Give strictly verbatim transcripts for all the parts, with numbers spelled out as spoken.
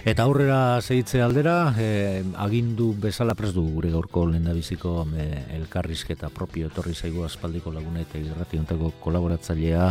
Eta aurrera segitze aldera, eh, agindu bezala prest dugu gure gaurko lehendabiziko eh, elkarrizketa propio etorri zaigu aspaldiko laguna eta irrati hontako kolaboratzailea,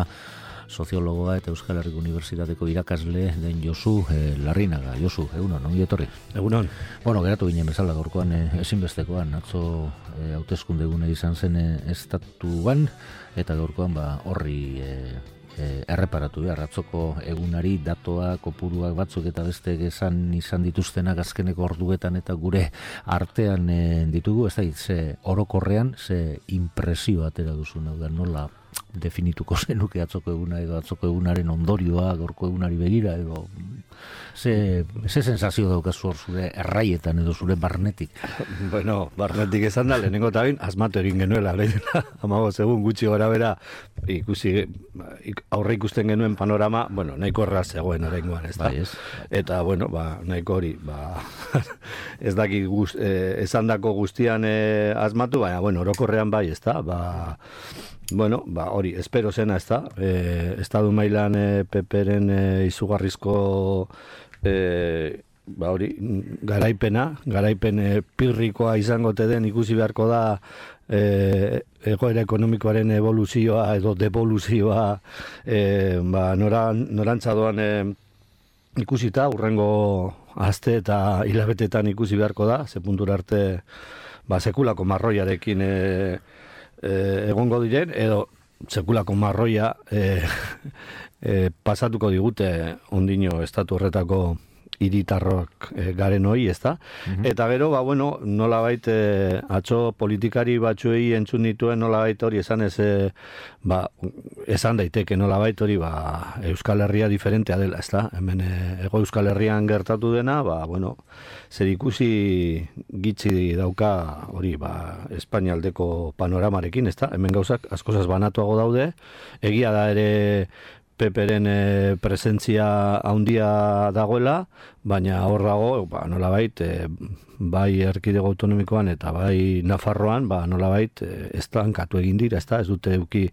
soziologoa eta Euskal Herriko Unibertsitateko irakasle den Josu eh, Larrinaga. Josu, egunon, ongi etorri? Egunon. Bueno, geratu ginen bezala gaurkoan eh, ezinbestekoan, atzo eh, hauteskunde egune izan zen eh, estatuan, eta gaurkoan ba, horri... Eh, E, erreparatu behar, atzoko egunari datoa, kopuruak batzuk eta beste esan izan dituztenak azkeneko orduetan eta gure artean e, ditugu, ez da, ze orokorrean, ze impresio atera duzun, hau da, nola definituko zenuke atzoko eguna edo atzoko egunaren ondorioa, gaurko egunari begira edo ze, ze sensazio daukazu hor zure erraietan edo zure barnetik? Bueno, barnetik esan da, lehenengo eta bain, asmatu egin genuela, amago segun gutxi gora bera, ikusi, aurre ikusten genuen panorama, bueno, nahiko erraz zegoen oraingoan, ez da? Bai, ez. Eta, bueno, ba, nahiko hori, ba, ez daki guz, eh, esan dako guztian eh, asmatu, baina, bueno, orokorrean bai, ez da? Ba, bueno, ba, hori, espero zena, ez da? Eh, estadu mailan eh, peperen eh, izugarrizko eh, ba, hori, garaipena, garaipen eh, pirrikoa izango te den ikusi beharko da eh, egoera ekonomikoaren evoluzioa edo devoluzioa eh, ba, noran, norantza doan eh, ikusita, urrengo aste eta hilabetetan ikusi beharko da, ze puntura arte ba, sekulako marroiarekin eh, Eh, egongo diren, edo sekulako marroia eh, eh, pasatuko digute ondino estatu horretako hiritarrok eh, garen hori, ez da? Mm-hmm. Eta gero, ba, bueno, nolabait eh, atzo politikari batzuei entzun dituen nolabait hori esan ez, eh, ba, esan daiteke nolabait hori, ba, Euskal Herria diferentea dela, ez da? Hemen eh, ego Euskal Herrian gertatu dena, ba, bueno, zer ikusi gitzi dauka hori, ba, Espainialdeko panoramarekin, ez da? Hemen gauzak askozaz banatuago daude, egia da ere peperen e, presentzia handia dagoela, baina horrago, ba, nolabait, e, bai erkidego autonomikoan eta bai Nafarroan, ba, nolabait, e, estankatu egin dira, ez da, ez dute euki,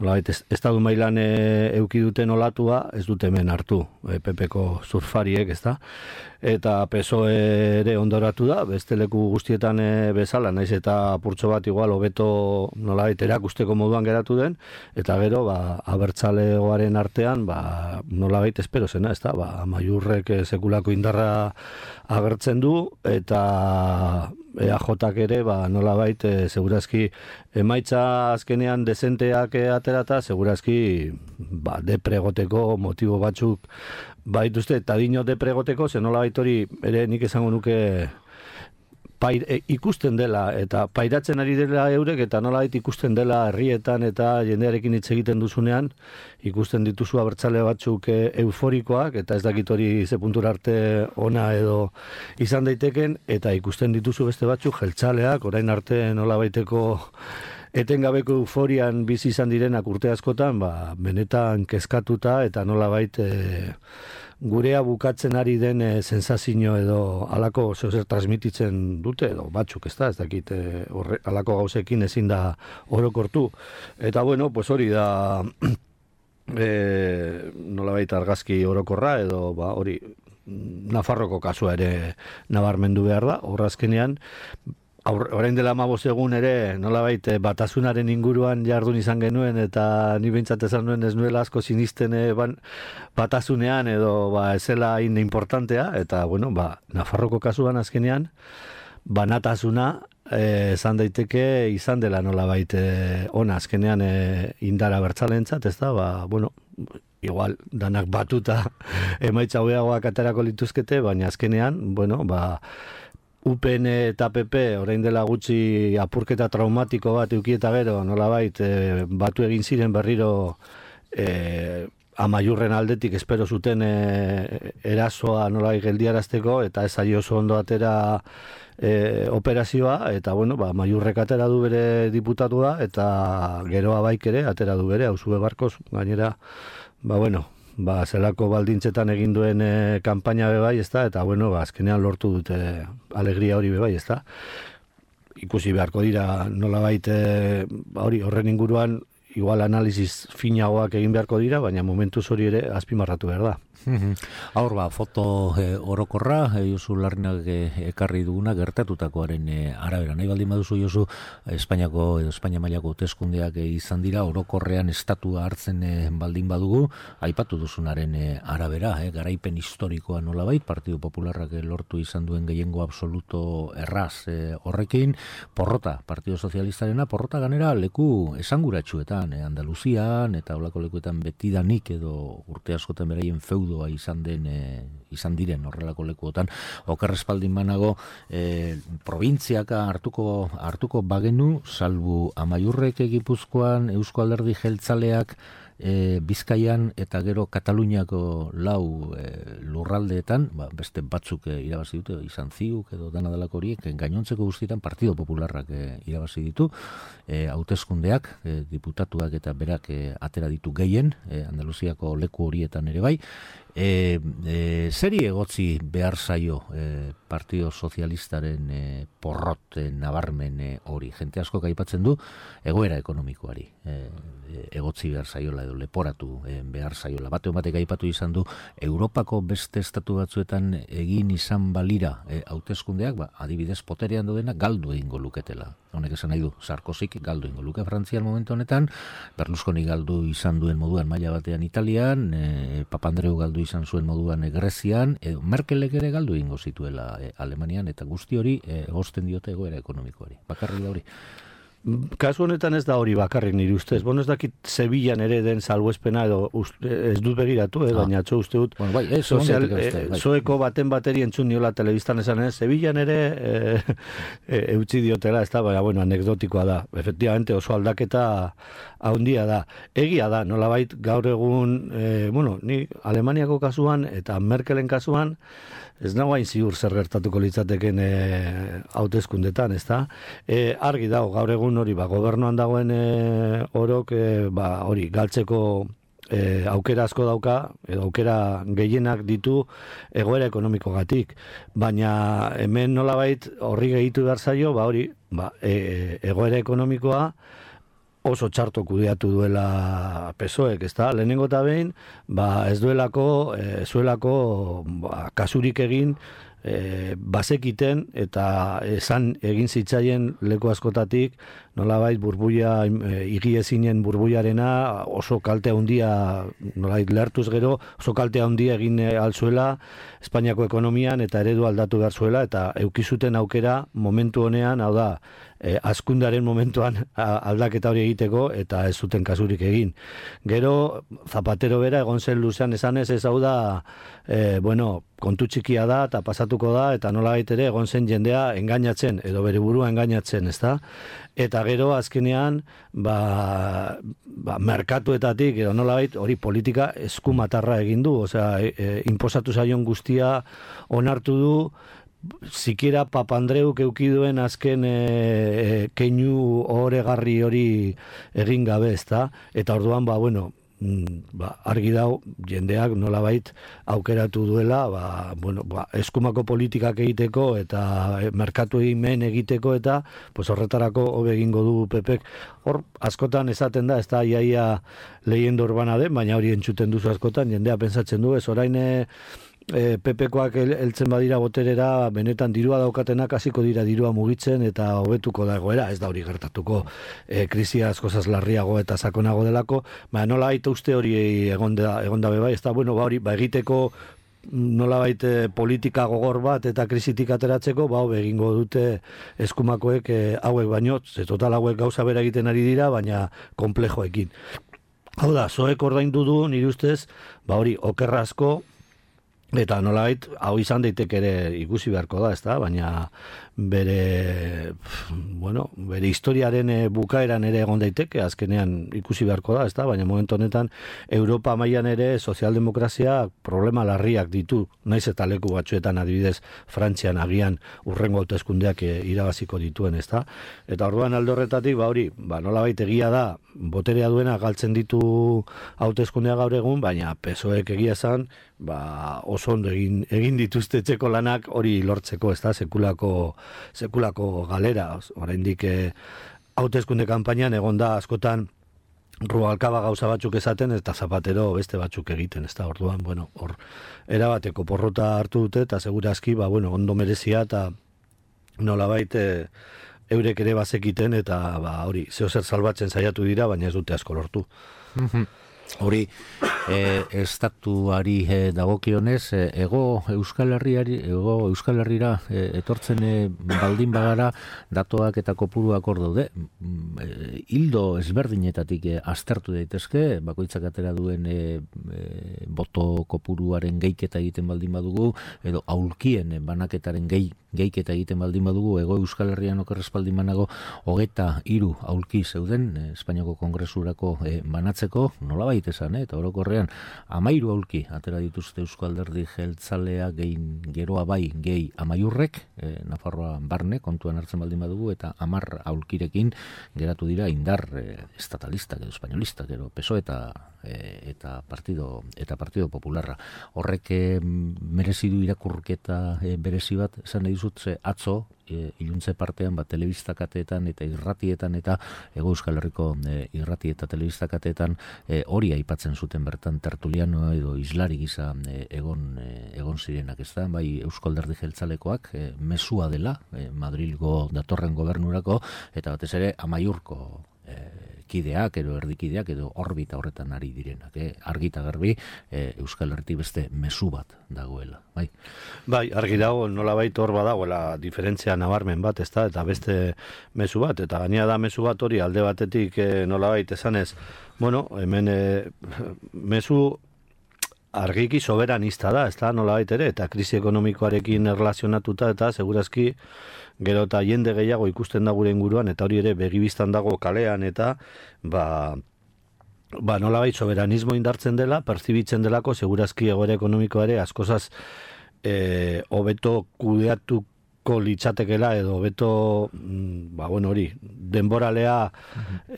nolabait, ez, estadu mailan e, euki duten olatua, ez dute hemen hartu, e, pepeko surfariek, ez da, eta P S O E ere ondoratu da, beste leku guztietan e, bezala, naiz eta purtso bat igual hobeto nolabait erakusteko moduan geratu den, eta gero, ba, abertzalegoaren artean, ba, nolabait espero zena, ez da, ba, Amaiurrek sekulako indarra agertzen du, eta E A Jak ere, ba, nolabait, e, segurazki emaitza azkenean dezenteak e, aterata, segurazki ba, depregoteko motibo batzuk baituzte, eta dino depregoteko, ze nolabait hori ere nik esango nuke pair, e, ikusten dela, eta pairatzen ari dela eurek, eta nolabait ikusten dela herrietan eta jendearekin hitz egiten duzunean, ikusten dituzu abertzale batzuk e, euforikoak, eta ez dakit hori ze puntura arte ona edo izan daiteken, eta ikusten dituzu beste batzuk jeltzaleak, orain arte nolabaiteko etengabeko euforian bizi izan direnak urte askotan, ba, benetan kezkatuta, eta nolabait e, gurea bukatzen ari den e, sensazio edo alako zer transmititzen dute, edo batzuk, ez da, ez dakit, e, horre, alako gauzekin ezin da orokortu. Eta bueno, pues hori da e, nolabait argazki orokorra, edo ba, hori Nafarroko kasua ere nabarmendu behar da, horrazkenean, orain dela hamabost egun ere nolabait batasunaren inguruan jardun izan genuen, eta ni behintzat esan nuen ez nuela asko sinisten ban, batasunean edo ba, ezela hain importantea, eta bueno, ba, Nafarroko kasuan azkenean banatasuna eh, esan daiteke izan dela nolabait eh, ona azkenean eh, indara bertzalentzat, ez da, ba, bueno, igual danak batuta emaitza hobeagoak aterako lituzkete, baina azkenean, bueno, ba, U P N eta P P orain dela gutxi apurketa traumatiko bat eduki eta gero nolabait e, batu egin ziren berriro e, Amaiurren aldetik espero zuten e, erasoa nolabait geldiarazteko, eta ez ari oso ondo atera e, operazioa, eta bueno, ba, Amaiurrek atera du bere diputatua, eta geroa baik ere atera du bere, Hausue Barkos, gainera, ba bueno, ba, zelako baldintzetan egin duen e, kanpaina bebai, ezta, eta bueno, ba, azkenean lortu dute alegria hori bebai, ezta. ikusi beharko dira nolabait e, hori horren inguruan igual analiziz finagoak egin beharko dira, baina momentuz hori ere azpimarratu behar da. Hor ba, foto eh, orokorra, eh, Josu Larrinak eh, ekarri duguna gertatutakoaren eh, arabera. Nahi baldin baduzu, Josu, Espainiako edo Espainia mailako hauteskundeak eh, izan dira, orokorrean estatua hartzen eh, baldin badugu, aipatu duzunaren eh, arabera, eh, garaipen historikoa nolabait, Partido Popularrak eh, lortu izan duen gehiengo absoluto erraz eh, horrekin, porrota, Partido Sozialistarena, porrota ganera leku esanguratsuetan, eh, Andaluzian, eta olako lekuetan betidanik edo urte askotan beraien feudo izan den e, izan diren horrelako lekuotan okerrespaldin banago e, probintziaka hartuko hartuko bagenu salbu Amaiurrek Gipuzkoan, Eusko Alderdi Jeltzaleak e, Bizkaian eta gero Kataluniako lau e, lurraldeetan, ba, beste batzuk e, irabazi dute, izan ziuk edo dana delako horiek, gainontzeko guztietan Partido Popularrak e, irabazi ditu, e, hauteskundeak, e, diputatuak eta berak e, atera ditu gehien, e, Andaluziako leku horietan ere bai. E, e, zeri egotzi behar zaio e, Partido Sozialistaren e, porrot e, nabarmen e, hori? Jente asko aipatzen du egoera ekonomikoari e, egotzi behar zaiola edo leporatu e, behar zaiola. Bate batek aipatu izan du Europako beste estatu batzuetan egin izan balira e, hauteskundeak, ba, adibidez poterean dodena galdu egingo luketela. Honek esan nahi du, Sarkozik galdu egingo luke Frantzian momentu honetan, Berlusconi galdu izan duen moduan maila batean Italian, e, Papandreou galdu izan zuen moduan e, Grezian, edo Merkelek ere galdu egingo zituela e, Alemanian, eta guzti hori e, egozten diote egoera ekonomikoari. Bakarrik da hori. Kasu honetan ez da hori bakarrik nire ustez. Bono ez dakit Sevillan ere den salbuespena edo uste, ez dut begiratu, eh, ah. baina atzo uste dut bueno, bai, ez, sozial, eh, bai. Zoeko baten bateri entzun niola telebistan esan, eh, Sevillan ere eh, eh, eutzi diotela, ez da, baina bueno, anekdotikoa da. Efectivamente oso aldaketa handia da. Egia da, nolabait gaur egun, eh, bueno, ni Alemaniako kasuan eta Merkelen kasuan, ez nago hain ziur zer gertatuko litzateken hauteskundetan, ez da? E, argi dago, gaur egun hori, ba, gobernuan dagoen e, orok, e, ba, hori, galtzeko e, aukera asko dauka, edo aukera gehienak ditu egoera ekonomikogatik. Baina hemen nolabait horri gehitu behar zaio, ba, hori, ba, e, egoera ekonomikoa, oso txarto kudeatu duela P S O E K, ezta? Lehenengo eta behin, ba, ez duelako, e, zuelako ba, kasurik egin, e, bazekiten eta esan egin zitzaien leku askotatik, nolabait burbuia, e, igiezinen burbuiarena oso kalte handia, nolabait lehartuz gero, oso kalte handia egin alzuela Espainiako ekonomian eta eredu aldatu behar zuela, eta eukizuten aukera momentu honean, hau da, E, askundaren momentuan aldaketa hori egiteko eta ez zuten kasurik egin. Gero Zapatero bera egon zen luzean esanez, ez hau da e, bueno, kontu txikia da eta pasatuko da, eta nolabait ere egon zen jendea engainatzen edo bere burua engainatzen, ezta? Eta gero azkenean ba, ba, merkatuetatik edo nolabait hori politika eskumatarra egin du, osea, e, e, inposatu zaion guztia onartu du, sikiera Papandreuk eukiduen azken e, e, keinu oregarri hori egin gabe, ezta? Eta orduan, ba, bueno, ba, argi dau, jendeak nolabait aukeratu duela, ba, bueno, ba, eskumako politikak egiteko eta merkatu egin egiteko eta pues, horretarako hobe egingo du P Pek. Hor, askotan esaten da, ez da iaia leyenda urbana den, baina hori entzuten duzu askotan, jendea pentsatzen du, ez orain E, P Pkoak heltzen badira boterera, benetan dirua daukatenak hasiko dira dirua mugitzen eta hobetuko da egoera, ez da hori gertatuko, e, krisia askozaz larriago eta sakonago delako, ba, nola baita uste hori egonda, egonda bebai, ez da, bueno, ba, hori, ba, egiteko nolabait politika gogor bat eta krisitik ateratzeko, ba, hobe egingo dute eskumakoek e, hauek baino, ze total hauek gauza bera egiten ari dira, baina komplejoekin. Hau da, zoek ordaindu du, nire ustez, ba, hori, okerra asko, eta nolabait, hau izan daiteke ere ikusi beharko da, ezta? Baina bere, bueno, bere historiaren bukaeran ere egon daiteke, azkenean ikusi beharko da, ezta? Baina momentu honetan Europa mailan ere sozialdemokrazia problema larriak ditu, naiz eta leku batzuetan adibidez Frantzian agian urrengo hauteskundeak irabaziko dituen, ezta? Eta orduan alde horretatik, ba hori, ba nolabait egia da, boterea duena galtzen ditu hauteskundea gaur egun, baina P S O E K egia esan, ba, oso ondo egin, egin dituzte etxeko lanak hori lortzeko, ez da, sekulako, sekulako galera. Oraindik eh, hauteskunde kanpainan egon da askotan Rubalcaba gauza batzuk esaten eta Zapatero beste batzuk egiten, ez da, orduan, bueno, hor, erabateko porrota hartu dute eta segurazki, ba, bueno, ondo merezia eta nolabait eh, eurek ere bazekiten eta ba, hori, zeo zer salbatzen saiatu dira, baina ez dute asko lortu. Hori, e, estatuari e, dagokionez, e, ego Euskal Herriari, ego Euskal Herrira e, etortzen e, baldin bagara datoak eta kopuruak hor daude. E, hildo ezberdinetatik e, aztertu daitezke, bakoitzak atera duen e, e, boto kopuruaren geiketa egiten baldin badugu, edo aulkien banaketaren gehi geiketa egiten baldin badugu, ego Euskal Herrian okerrez baldin banago, hogeta hiru aulki zeuden, e, Espainiako Kongresurako e, banatzeko, nola baita esan, eh? Eta orokorrean amairu aulki atera dituzte Eusko Alderdi Jeltzalea gehin geroa bai gehi amaiurrek, e, Nafarroa barne kontuan hartzen baldin badugu, eta amar aulkirekin geratu dira indar e, estatalistak edo espainolistak, gero P S O E eta e, eta partido eta Partido Popularra. Horrek e, merezi du irakurketa e, berezi bat, esan nahi dizut, ze atzo E, iluntze partean bat telebistakateetan eta irratietan eta Ego Euskal Herriko e, irrati eta telebistakateetan e, hori aipatzen zuten bertan tertuliano edo islari gisa e, egon e, egon zirenak, ez da, bai Eusko Alderdi Jeltzalekoak e, mesua dela e, Madrilgo datorren gobernurako eta batez ere amaiurko e, kideak edo erdikideak edo orbita horretan ari direnak, eh? Argita garbi e, Euskal Herritik beste mezu bat dagoela, bai. Bai, argi dago, nolabait hor badagoela diferentzia nabarmen bat, ezta, eta beste mezu bat, eta gainera da mezu bat hori alde batetik e, nolabait esanez, bueno, hemen e, mezu argiki soberanista da, ezta, nolabait ere, eta krisi ekonomikoarekin erlazionatuta, eta segurazki gero eta jende gehiago ikusten da gure inguruan, eta hori ere begibistan dago kalean, eta ba, ba nolabait soberanismo indartzen dela, perzibitzen delako, segurazki egoera ekonomikoa ere askozaz e, hobeto kudeatuko litzatekela, edo hobeto, ba bueno hori, denboralea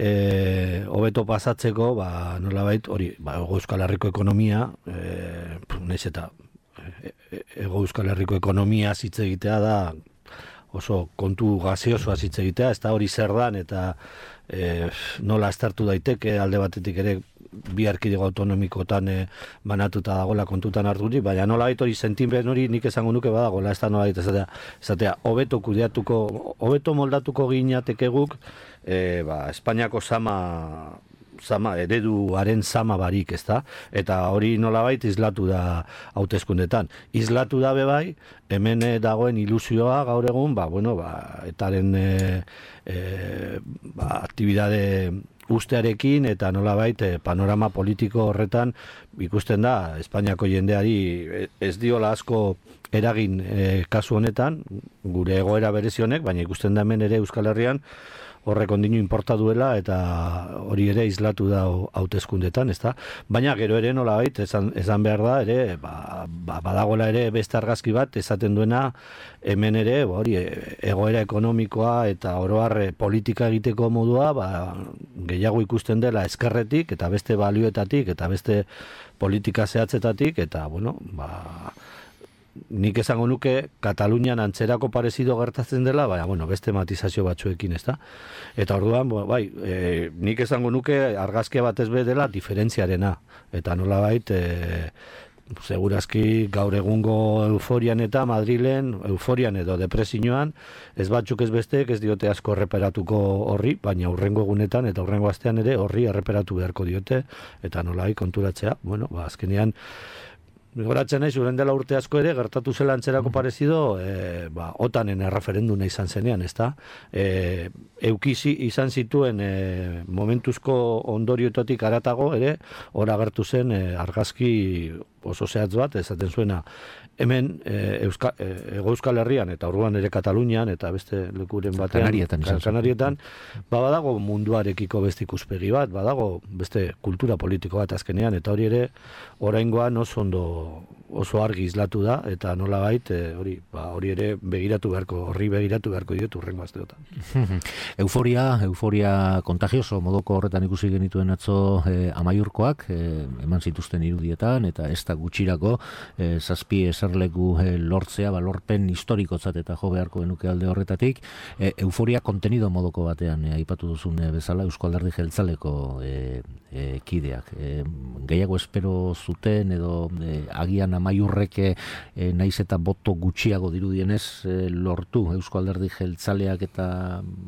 e, hobeto pasatzeko, ba nolabait hori, ba Euskal Herriko ekonomia, e, naiz eta Ego Euskal Herriko ekonomia hitz egitea da oso kontu gaziosoa hitz egitea, ez da hori zer dan, eta e, nola aztertu daiteke alde batetik ere bi erkidego autonomikotan e, banatuta dagoela kontutan harturik, baina nola hori sentimen hori nik esango nuke badagoela, ez da nola esatea, esatea, hobeto kudeatuko, hobeto moldatuko ginateke guk, e, ba, Espainiako sama Zama, ereduaren zama barik, ez da? Eta hori nolabait islatu da hauteskundetan. Islatu da bebai, hemen dagoen ilusioa gaur egun, ba, bueno, ba, etaren e, e, ba, aktibidade ustearekin eta nolabait e, panorama politiko horretan ikusten da Espainiako jendeari ez diola asko eragin e, kasu honetan, gure egoera berezionek, baina ikusten da hemen ere Euskal Herrian horrek ondino inporta duela eta hori ere islatu da hauteskundetan, ezta? Baina gero ere nolabait esan, esan behar da ere, ba, ba, badagoela ere beste argazki bat esaten duena hemen ere, ba, hori egoera ekonomikoa eta oro har politika egiteko modua, ba, gehiago ikusten dela ezkerretik eta beste balioetatik eta beste politika zehatzetatik eta bueno, ba nik esango nuke Katalunian antzerako parezido gertatzen dela, baina bueno, beste matizazio batzuekin, ezta? Eta orduan, bai, e, nik esango nuke argazkia batez be dela diferentziarena, eta nolabait e, segurazki gaur egungo euforian eta Madrilen, euforian edo depresioan, ez batzuk ez besteek ez diote asko erreperatuko horri, baina hurrengo egunetan eta hurrengo astean ere horri erreperatu beharko diote, eta nolabait konturatzea, bueno, ba, azkenean goratzen naiz, uren dela urte asko ere, gertatu zela antzerako parezido, e, ba, otanen erreferenduna izan zenean, ezta? E, eukizi izan zituen e, momentuzko ondorioetatik aratago ere, hor agertu zen e, argazki oso zehatz bat, esaten zuena, hemen e, Euska, e, Ego Euskal Herrian eta orduan ere Katalunian eta beste lekuren batean Kanarietan, kan, Kanarietan ba, badago munduarekiko beste ikuspegi bat, badago beste kultura politiko bat azkenean, eta hori ere oraingoan oso ondo oso argi islatu da, eta nolabait e, hori ba, hori ere begiratu beharko, horri begiratu beharko diot urrengo asteotan. Euforia, euforia kontagioso modoko horretan ikusi genituen atzo eh, Amaiurkoak, eh, eman zituzten irudietan, eta ez da gutxirako eh, zazpi eserleku eh, lortzea, balorpen historikotzat eta jo beharko genuke alde horretatik, eh, euforia kontenido modoko batean eh, aipatu duzun eh, bezala Eusko Alderdi Jeltzaleko eh, eh, kideak. Eh, gehiago espero zuten edo eh, agian Amaiurreke eh, naiz eta boto gutxiago dirudienez eh, lortu Eusko Alderdi Jeltzaleak eta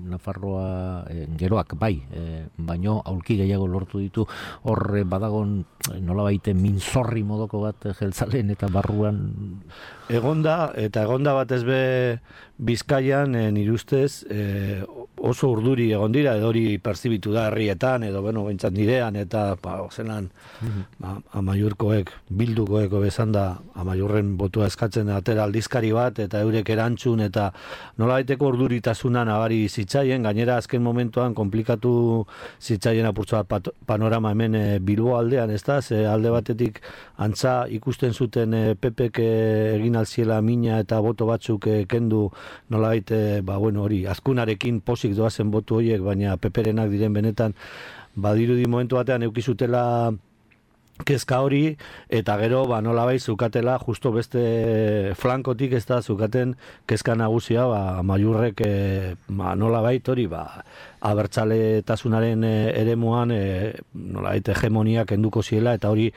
Nafarroa eh, geroak bai, eh, baino aulki gehiago lortu ditu, horre badagon nolabaite minzorri modoko bat jeltzaleen eta barruan egonda, eta egonda batez be Bizkaian e, nire ustez e, oso urduri egon dira, edo hori perzibitu da herrietan, edo bueno, bentsat nirean, eta ba, zelan mm-hmm. ba, Amaiurkoek, bildukoeko bezan da Amaiurren botua eskatzen atera aldizkari bat, eta eurek erantzun, eta nolabaiteko urduritasuna nabari zitzaien, gainera azken momentuan komplikatu zitzaien apurtza bat panorama hemen e, Bilbo aldean, ez da, ze alde batetik antza ikusten zuten e, Pepek e, egin alziela mina eta boto batzuk e, kendu nolabait, e, ba, bueno, hori, azkunarekin posik doazen botu horiek, baina peperenak diren benetan, badirudi momentu batean eukizutela kezka hori, eta gero, ba, nolabait, zukatela, justo beste flankotik ez da, zukaten kezka nagusia, ba, Amaiurrek, e, ba, nolabait hori, ba, abertzaletasunaren e, eremuan e, nolabait hegemonia kenduko ziela, eta hori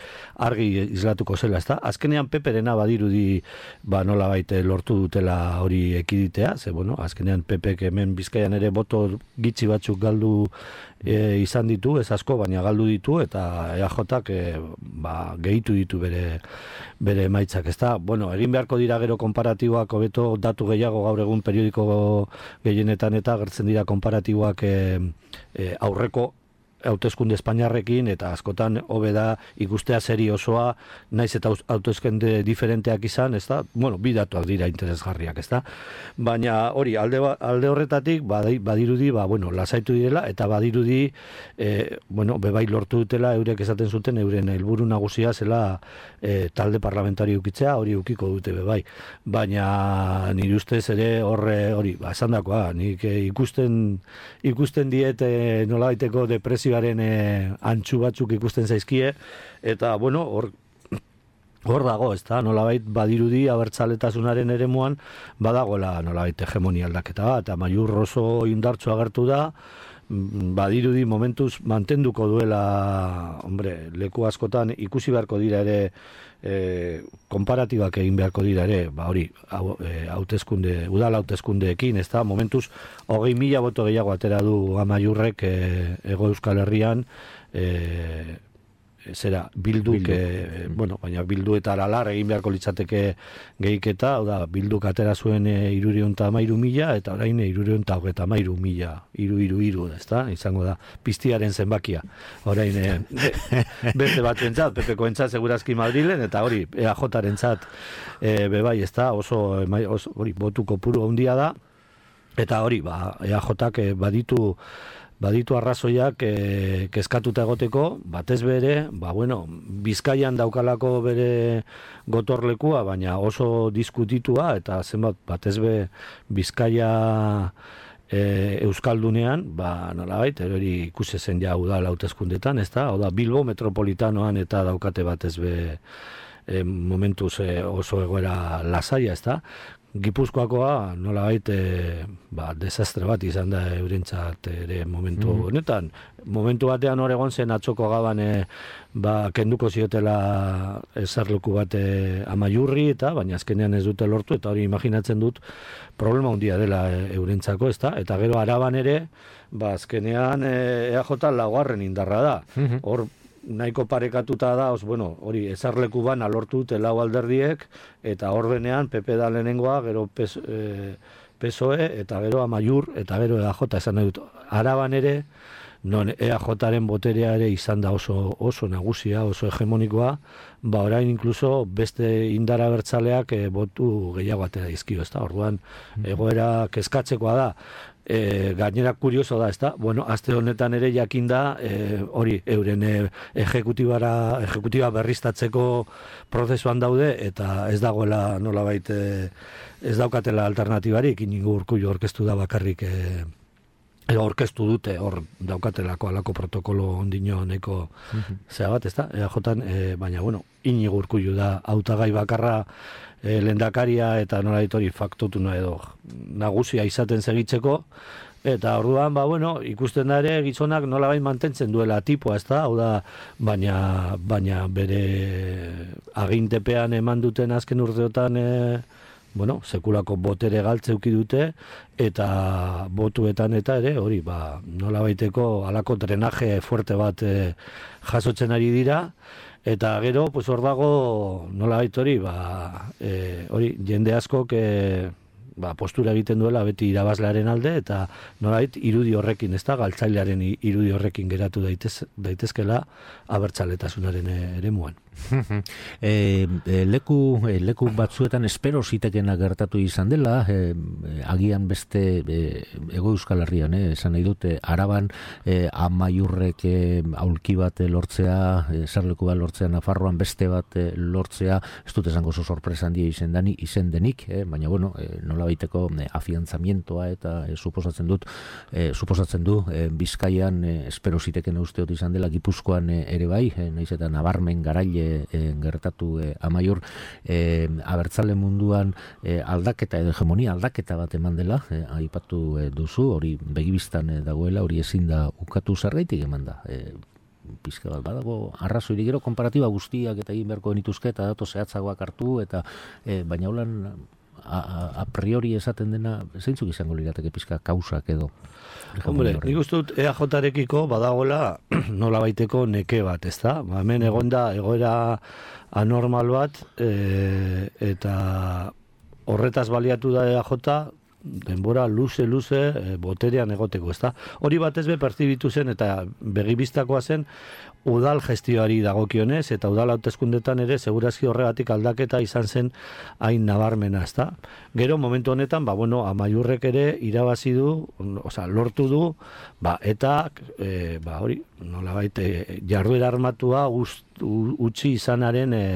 argi islatuko zela, ezta? Azkenean Peperena badirudi ba nolabait lortu dutela hori ekiditea, ze bueno, azkenean Pepek hemen Bizkaian ere boto gitxi batzuk galdu e, izan ditu, ez asko, baina galdu ditu, eta E A Jak e, ba, gehitu ditu bere bere emaitzak, ezta? Bueno, egin beharko dira gero konparatiboak, hobeto datu gehiago gaur egun periodiko gehienetan eta gertzen dira konparatiboak e, e, aurreko hauteskunde Espainiarrekin, eta askotan hobe da ikustea seri osoa, naiz eta hauteskunde diferenteak izan, ez da? Bueno, bi datuak dira interesgarriak, ez da? Baina hori, alde, alde horretatik badirudi, ba, bueno, lasaitu direla, eta badirudi, e, bueno, bebai lortu dutela, eurek esaten zuten, euren helburu nagusia zela e, talde parlamentari ukitzea, hori ukiko dute bebai. Baina nire ustez ere horre, hori, ba, esan dakoa, nik e, ikusten, ikusten diet e, nolabaiteko depresio E, antxu batzuk ikusten zaizkie, eta bueno, hor hor dago, ez da, nolabait badirudi abertzaletasunaren eremuan badagoela nolabait hegemonia aldaketa bat, Amaiur oso indartsu agertu da, badirudi momentuz mantenduko duela, hombre, leku askotan ikusi beharko dira ere, e, konparatibak egin beharko dira ere, ba hori, hauteskunde, udal hauteskundeekin, ez da, momentuz hogei mila boto gehiago atera du Amaiurrek e, Ego Euskal Herrian, e, zera, bilduk, Bildu. E, bueno, baina bildu eta aralar egin beharko litzateke gehiketa, hau da, bilduk atera zuen e, irureun eta amairu mila, eta orain e, irureun eta hogeita amairu mila, iru, iru, iru, ez da, izango da, piztiaren zenbakia, orain, e, be, beste batzuentzat, Pepekoentzat segurazki Madrilen, eta hori, E A Jarentzat e, bebai, ez da, oso, oso hori, botu kopuru handia da, eta hori, ba, E A Jak e, baditu, baditu arrazoiak e, kezkatuta egoteko, batez bere, ba bueno, Bizkaian daukalako bere gotorlekua, baina oso diskutitua, eta zenbat batez be Bizkaia e, Euskaldunean, ba nolabait, hori ikusi zen ja udal hauteskundetan, ezta? Hau da, Bilbo metropolitanoan eta daukate batez be e, momentuz e, oso egoera lasaia, ezta? Gipuzkoakoa nolabait e, ba, desastre bat izan da eurentzat ere momentu mm. honetan. Momentu batean hor egon zen atzoko gaban e, ba, kenduko ziotela eserleku bat e, Amaiurri, eta baina azkenean ez dute lortu, eta hori imaginatzen dut problema handia dela e, eurentzako, ezta? Eta gero Araban ere, ba, azkenean e, E A J laugarren indarra da. Mm-hmm. Hor nahiko parekatuta da, os, bueno, hori ezarleku bana lortu dute lau alderdiek, eta hor benean P P da lehenengoa, gero P S O E, eta gero Amaiur, eta gero E A J, esan nahi dut. Araban ere, non E A Jaren boterea ere izan da oso, oso nagusia, oso hegemonikoa, ba orain inkluso beste indar abertzaleak e, botu gehiago atera dizkio, ezta? Orduan egoera kezkatzekoa da. E, gainera kurioso da, ezta? Bueno, aste honetan ere jakinda e, hori euren e, ejekutibara ejekutiba berriztatzeko prozesuan daude eta ez dagoela nolabait e, ez daukatela alternatibarik, Iñigo Urkullu aurkeztu da bakarrik e, edo aurkeztu dute hor daukatelako alako protokolo ondino neko zea bat, ezta? E A Jan, e, baina bueno, Iñigo Urkullu da hautagai bakarra e, lehendakaria eta nolabait hori faktotuna edo nagusia izaten segitzeko. Eta orduan, ba, bueno, ikusten da ere gizonak nolabait mantentzen duela tipoa, ezta? Hau da, baina, baina bere agintepean eman duten azken urteotan, e, bueno, sekulako botere galtzeuki dute, eta botuetan eta ere, hori, ba, nolabaiteko alako drenaje fuerte bat e, jasotzen ari dira, eta gero, pues hor dago, nolabait hori, ba, e, hori, jende askok, e, ba, postura egiten duela beti irabazlearen alde eta nolait irudi horrekin, ez da, galtzailearen irudi horrekin geratu daitez, daitezkela abertzaletasunaren eremuan. e, e, leku, e, leku batzuetan espero zitekena gertatu izan dela, e, agian beste e, Ego Euskal Herrian, e, esan nahi dute, Araban e, Amaiurrek e, aulki bat lortzea, e, zerleku bat lortzea, Nafarroan beste bat e, lortzea, ez dut esango zo sorpresa handia izen, dani, izen denik, e, baina bueno, e, nola baiteko e, afiantzamientoa eta e, suposatzen dut, e, suposatzen du e, Bizkaian e, espero zitekena usteot izan dela, Gipuzkoan e, ere bai, e, naiz eta nabarmen garaile E, gertatu e, Amaiur e, abertzale munduan e, aldaketa edo hegemonia aldaketa bat eman dela, e, aipatu e, duzu, hori begibistan e, dagoela, hori ezin da ukatu zergaitik eman da. E, pizka bat badago arrazoirik, gero konparatiba guztiak eta egin beharko genituzke eta dato zehatzagoak hartu eta e, baina holan a, a, a priori esaten dena zeintzuk izango lirateke pizka kausak edo. Hombre, nik uste dut E A Jarekiko badagoela nola baiteko neke bat, ez da? Ba, hemen egonda egoera anormal bat e, eta horretaz baliatu da E A J denbora luze-luze e, boterean egoteko, ez da? Hori batez be pertzibitu zen eta begibistakoa zen udal gestioari dagokionez eta udal hauteskundetan ere segurazki horregatik aldaketa izan zen hain nabarmena, ez da? Gero momentu honetan, ba, bueno, Amaiurrek ere irabazi du, osea, lortu du, ba, eta e, ba, hori, nolabait e, jarduera armatua gust, u, utzi izanaren e,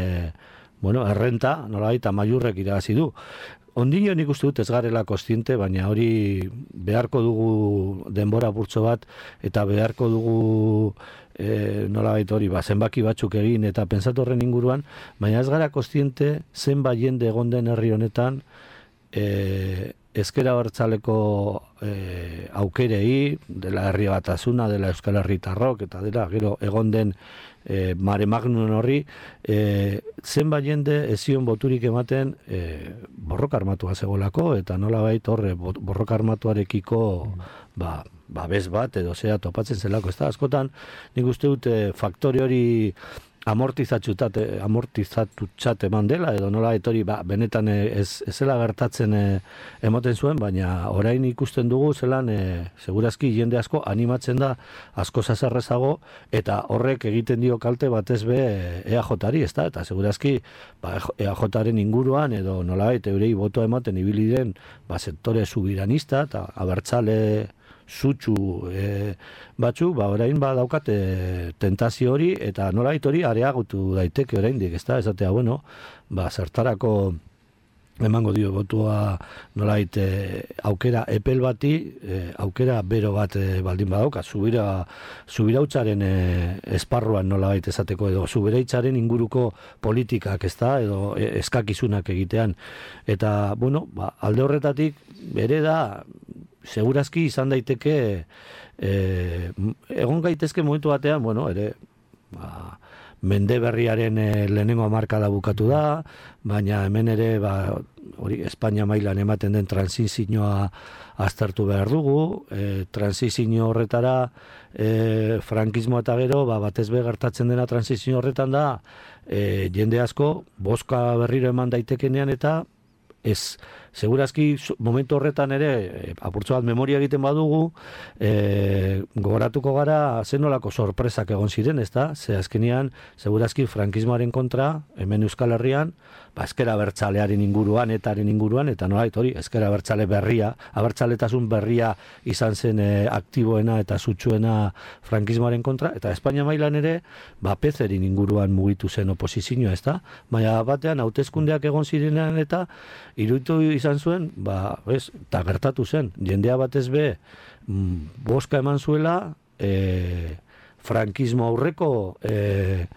bueno, errenta, nolabait Amaiurrek irabazi du. Ondino nik uste dut ez garela kontziente, baina hori beharko dugu denbora burtso bat eta beharko dugu e, nolabait hori, ba, zenbaki batzuk egin eta pentsatu horren inguruan, baina ez gara kontziente zenbait jende egon den herri honetan e, ezkera abertzaleko e, aukerei, dela herri batasuna, dela Euskal Herritarrok eta dela gero egon den E, mare magnun horri e, zenbait jende ezion boturik ematen e, borroka armatua zegolako eta nolabait horre borroka armatuarekiko ba, ba bez bat edo zea topatzen zelako, ez da, askotan nik uste dute faktore hori amortizatutxat amortizatutxat eman dela edo nola etori ba, benetan ez, ez zela gertatzen e, emoten zuen, baina orain ikusten dugu zelan e, segurazki jende asko animatzen da asko zazerrezago eta horrek egiten dio kalte batez be E A Jari, ez da, eta segurazki ba, E A Jaren inguruan edo nolabait eurei botoa ematen ibili den ba, sektore subiranista eta abertzale zutxu e, batzu, ba, orain ba daukate tentazio hori eta nolait hori areagotu daiteke oraindik, ez da, esatea, bueno, ba, zertarako emango dio botua nolait e, aukera epel bati, e, aukera bero bat e, baldin badauka, zubira, zubirautzaren e, esparruan nolait esateko edo zubiraitzaren inguruko politikak, ez da, edo e, eskakizunak egitean. Eta, bueno, ba, alde horretatik bere da, segurazki izan daiteke e, egon gaitezke momentu batean, bueno, ere ba, mende berriaren e, lehenengo hamarkada bukatu da, baina hemen ere ba, hori Espainia mailan ematen den transizioa aztertu behar dugu, e, transizio horretara e, frankismoa eta gero ba, batez be gertatzen dena transizio horretan da e, jende asko boska berriro eman daitekenean eta ez segurazki momentu horretan ere, apurtzo bat memoria egiten badugu, e, gogoratuko gara zenolako sorpresak egon ziren, ez da? Ze azkenean, segurazki frankismoaren kontra, hemen Euskal Herrian, ba, ezker abertzalearen inguruan, etaren inguruan, eta nolait hori, ezker abertzale berria, abertzaletasun berria izan zen e, aktiboena eta sutsuena frankismoaren kontra, eta Espainia mailan ere, ba, pezerin inguruan mugitu zen oposizioa, ez da? Baina batean, hauteskundeak egon zirenean eta iruditu izan zuen, ba, ez, eta gertatu zen, jendea batez be, mm, boska eman zuela, e, frankismo aurreko e,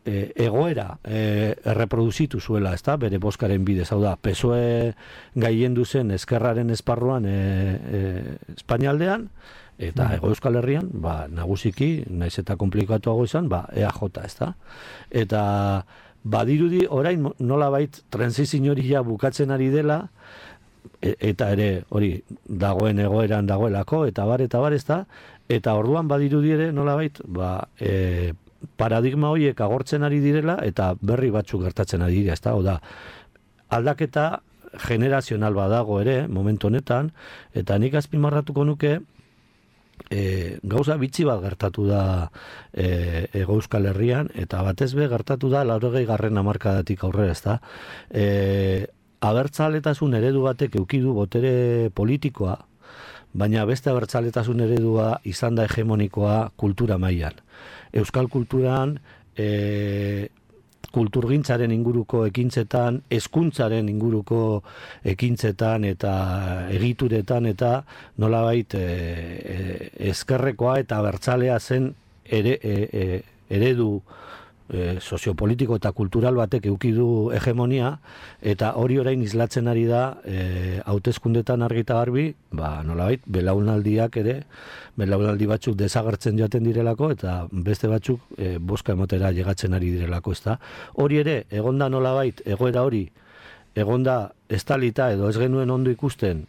e, egoera e, erreproduzitu zuela, ez da, bere boskaren bidez, hau da, P S O E gailendu zen ezkerraren esparruan e, e, Espainialdean, eta Hego Euskal Herrian, ba, nagusiki, naiz eta komplikatuago izan, ba, E A J, ez da. Eta badirudi orain nolabait transizio hori ja bukatzen ari dela, e, eta ere hori dagoen egoeran dagoelako, eta bar, eta bar, ez da, eta orduan badirudi ere nolabait, ba, e, paradigma horiek agortzen ari direla, eta berri batzuk gertatzen ari dira, ez da, oda, aldaketa generazional badago ere, momentu honetan, eta nik azpimarratuko nuke, E, gauza bitxi bat gertatu da e, Hego Euskal Herrian, eta batez be gertatu da laurogei garren hamarkadatik aurrera, ez da. E, abertzaletasun eredu batek eukidu botere politikoa, baina beste abertzaletasun eredua izan da hegemonikoa kultura mailan. Euskal kulturan e, kulturgintzaren inguruko ekintzetan, hezkuntzaren inguruko ekintzetan eta egituretan eta nolabait e, e, ezkerrekoa eta abertzalea zen ere, e, e, eredu e, soziopolitiko eta kultural batek eduki du hegemonia, eta hori orain islatzen ari da e, hauteskundetan argi eta garbi, ba, nolabait, belaunaldiak ere, belaunaldi batzuk desagertzen joaten direlako, eta beste batzuk e, boska emotera llegatzen ari direlako, ezta. Hori ere, egonda nolabait, egoera hori, egonda estalita edo ez genuen ondo ikusten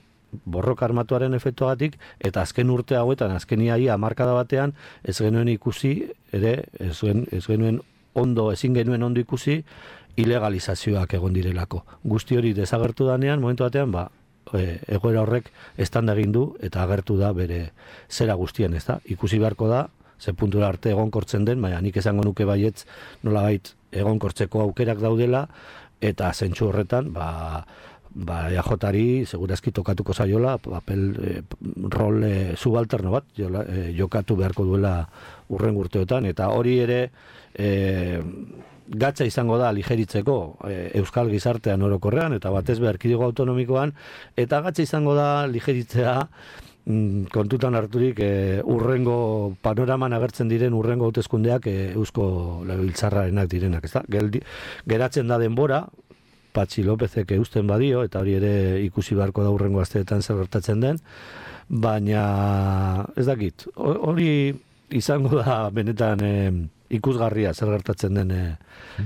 borroka armatuaren efektuagatik, eta azken urte hauetan, azken iaia hamarkada batean, ez genuen ikusi, ere, ez, gen, ez genuen ondo, ezin genuen ondo ikusi, ilegalizazioak egon direlako. Guzti hori desagertu danean, momentu batean, ba, e, egoera horrek estanda egin du, eta agertu da bere zera guztien, ez da? Ikusi beharko da, ze puntura arte egonkortzen den, baina nik esango nuke baietz nolabait egonkortzeko aukerak daudela, eta zentsu horretan, ba, ba, E A Jari segurazki tokatuko zaiola, papel, e, rol e, subalterno bat, jola, e, jokatu beharko duela urren urteotan, eta hori ere e, gatza izango da ligeritzeko e, Euskal gizartean orokorrean, eta batez be erkidego autonomikoan, eta gatza izango da ligeritzea mm, kontutan harturik e, urrengo panoraman agertzen diren urrengo hauteskundeak e, Eusko Legebiltzarrarenak direnak, ezta? Geldi, geratzen da denbora, Patxi Lópezek eusten badio, eta hori ere ikusi beharko da urrengo asteetan zer gertatzen den, baina ez dakit, hori izango da benetan e, ikusgarria zer gertatzen den e,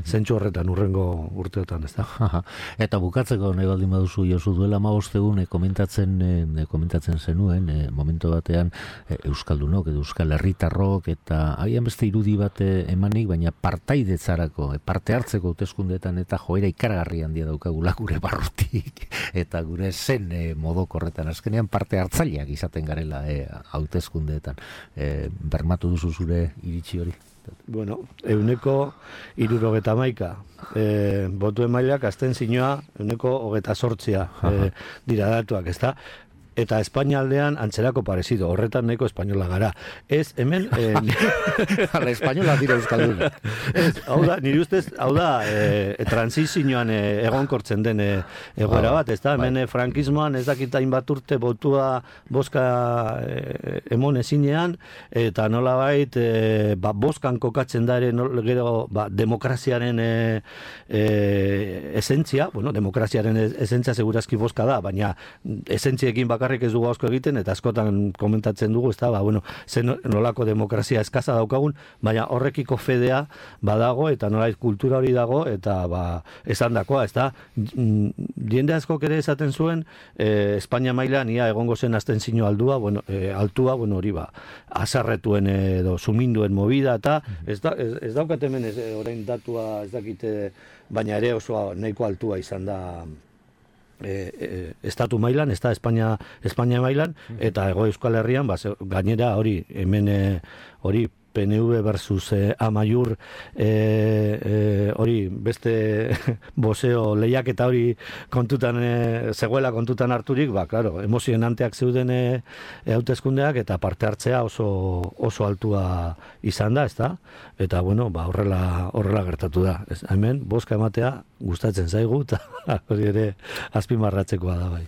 zentsu horretan urrengo urteotan, ez da. Eta bukatzeko nahi baldin baduzu, Josu, duela hamabost egun e, komentatzen, e, komentatzen zenuen, e, momentu batean e, Euskaldunok edo Euskal Herritarrok eta agian beste irudi bat emanik, baina partaidetzarako, e, parte hartzeko hauteskundeetan eta joera ikaragarri handia daukagula gure barrutik eta gure zen e, modokorretan azkenean parte hartzaileak izaten garela e, hauteskundeetan. E, bermatu duzu zure iritsi hori? Bueno, euneko irurogeta maika. E, botu emailak azten zinua euneko hogeta sortzia e, dira datuak, ez da? Eta Espainialdean antzerako parezido, horretan nahiko espainola gara. Ez, hemen... E, Ala, espainola dira euskalduna. Ez, hau da, nire ustez, hau da, e, transizioan e, egonkortzen den e, egoera bat, ez da? Hemen e, frankismoan ez dakitain bat urte botua boska e, emon ezinean, eta nola bait, e, ba, boskan kokatzen da ere nol, gero ba, demokraziaren e, e, esentzia, bueno, demokraziaren esentzia segurazki boska da, baina esentziekin bak bakarrik ez dugu asko egiten, eta askotan komentatzen dugu, ez da, ba, bueno, zen nolako demokrazia eskaza daukagun, baina horrekiko fedea badago, eta nolait kultura hori dago, eta ba, esan dakoa, ez da, jende askok ere esaten zuen, e, Espainia mailan ia egongo zen abstentzio aldua, bueno, e, altua, bueno, hori ba, azarretuen edo suminduen movida, eta ez, da, ez, ez daukat hemen ez, orain datua ez dakite, baina ere oso nahiko altua izan da E, e, estatu mailan, ez da Espainia, Espainia mailan, eta Hego Euskal Herrian, ba, gainera hori, hemen hori, P N V versus eh, Amaiur hori eh, eh, beste boseo lehiak eta hori kontutan eh, zegoela kontutan harturik, ba, claro, emozionanteak zeuden eh, hauteskundeak eta parte hartzea oso oso altua izan da, ezta? Eta bueno, ba, horrela horrela gertatu da. Ez, hemen bozka ematea gustatzen zaigu eta hori ere azpimarratzekoa da bai.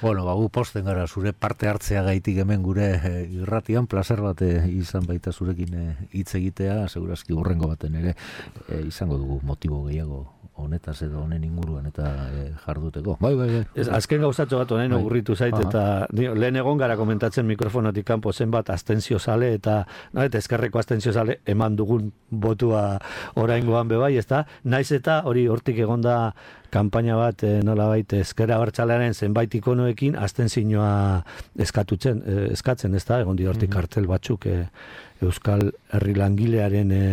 Bueno, ba, gu posten gara zure parte hartzea gaitik hemen gure eh, irratian, placer bat eh, izan baita zurekin hitz egitea, segurazki hurrengo baten ere e, izango dugu motibo gehiago honetaz edo honen inguruan eta e, jarduteko. Bai, bai, bai. Ez, azken gauzatxo bat honen ogurritu zait, eta dio, lehen egon gara komentatzen mikrofonotik kanpo zenbat abstentzio sale, eta no, eta ezkerreko abstentzio sale eman dugun botua oraingoan bebai, ezta? Naiz eta hori hortik egonda kanpaina bat, e, nolabait ezkerra abertzalearen zenbait ikonoekin abstentzioa eskatutzen, e, eskatzen, ezta? Egon di hortik kartel batzuk e, Euskal Herri langilearen e,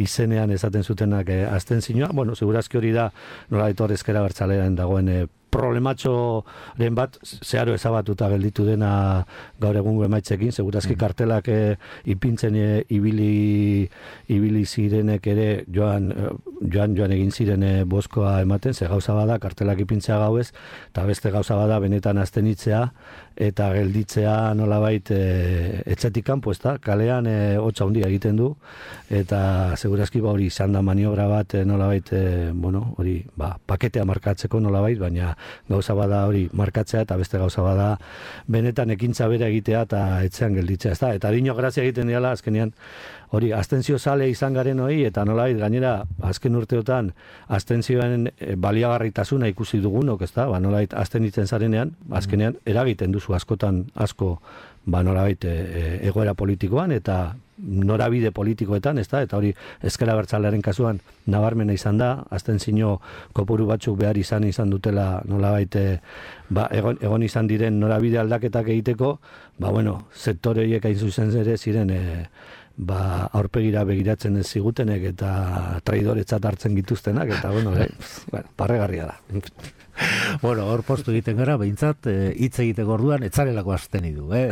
izenean esaten zutenak e, abstentzioa. Bueno, segurazki hori da nolabait hor ezkerra abertzalearen dagoen e, problematxoren bat zeharo ezabatuta gelditu dena gaur egungo emaitzekin, segurazki kartelak e, ipintzen e, ibili ibili zirenek ere joan joan joan egin ziren e, bozkoa ematen, ze gauza bada kartelak ipintzea gauez, eta beste gauza bada benetan abstenitzea eta gelditzea nolabait e, etxetik kanpo, ezta? Kalean e, hotza handia egiten du, eta segurazki ba hori izan da maniobra bat e, nolabait e, bueno, hori ba, paketea markatzeko nolabait, baina gauza bada hori markatzea eta beste gauza bada benetan ekintza bera egitea eta etxean gelditzea, ezta? Eta dino grazia egiten diala azkenean hori abstentzio sale izan garen hori, eta nolabait gainera azken urteotan abstentzioen baliagarritasuna ikusi dugunok, ezta? Ba nolabait abstenitzen zarenean, azkenean eragiten duzu askotan asko ba nolabait e, egoera politikoan eta norabide politikoetan, ezta? Eta hori ezker abertzalearen kasuan nabarmena izan da, abstentzio kopuru batzuk behar izan izan dutela nolabait ba, egon, egon izan diren norabide aldaketak egiteko, ba bueno, sektore horiek hain zuzen ere ziren e, ba, aurpegira begiratzen ez zigutenek eta traidoretzat hartzen gituztenak, eta bueno, eh, bueno, parregarria da. Bueno, hor postu egiten gara, behintzat, hitz e, egiteko orduan, etzarelako azteni du, eh?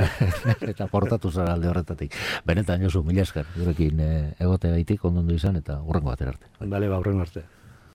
Eta portatu zara alde horretatik. Benetan, Josu, mila esker, gurekin e, egote gaitik, ondondu izan, eta hurrengo batera arte. Bale, ba, hurrengo arte.